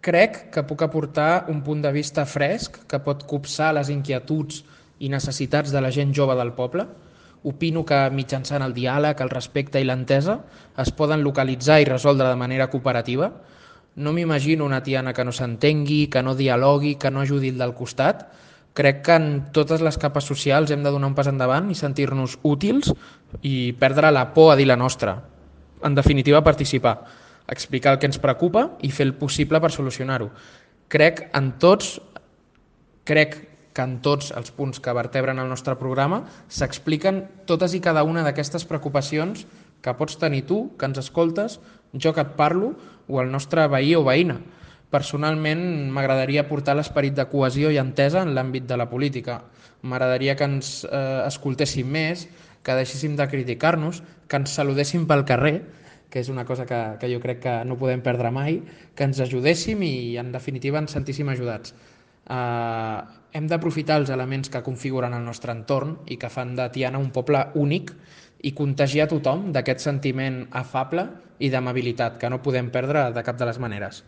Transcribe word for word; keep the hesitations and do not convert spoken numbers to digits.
Crec que puc aportar un punt de vista fresc que pot copsar les inquietuds i necessitats de la gent jove del poble. Opino que mitjançant el diàleg, el respecte i l'entesa es poden localitzar i resoldre de manera cooperativa. No m'imagino una tiana que no s'entengui, que no dialogui, que no ajudi el del costat. Crec que en totes les capes socials hem de donar un pas endavant i sentir-nos útils i perdre la por a dir la nostra. En definitiva, participar, explicar el que ens preocupa i fer el possible per solucionar-ho. Crec en tots, crec que en tots els punts que vertebren el nostre programa s'expliquen totes i cada una d'aquestes preocupacions que pots tenir tu, que ens escoltes, jo que et parlo, o el nostre veí o veïna. Personalment, m'agradaria portar l'esperit de cohesió i entesa en l'àmbit de la política. M'agradaria que ens eh, escoltéssim més, que deixéssim de criticar-nos, que ens saludéssim pel carrer, que és una cosa que, que jo crec que no podem perdre mai, que ens ajudéssim i, en definitiva, ens sentíssim ajudats. Eh, hem d'aprofitar els elements que configuren el nostre entorn i que fan de Tiana un poble únic i contagiar tothom d'aquest sentiment afable i d'amabilitat que no podem perdre de cap de les maneres.